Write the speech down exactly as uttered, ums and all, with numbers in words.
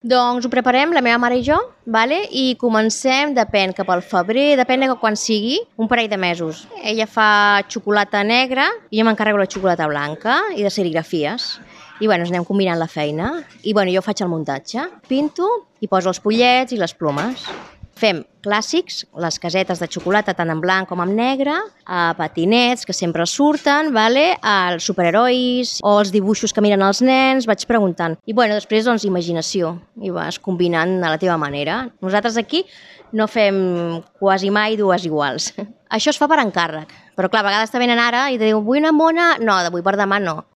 Doncs ho preparem la meva mare i jo, vale? I comencem, depèn, cap al febrer, depèn de quan sigui, un parell de mesos. Ella fa xocolata negra i jo m'encarrego la xocolata blanca i de serigrafies. I bueno, ens anem combinant la feina. I bueno, jo faig el muntatge. Pinto i poso els pollets i les plomes. Fem clàssics, les casetes de xocolata tant en blanc com en negre, a patinets que sempre surten, vale? Els superherois o els dibuixos que miren els nens, vaig preguntant. I bueno, després doncs imaginació i vas combinant a la teva manera. Nosaltres aquí no fem quasi mai dues iguals. Això es fa per encàrrec, però clar, a vegades te venen ara i te diuen vull una mona, no, d'avui per demà no.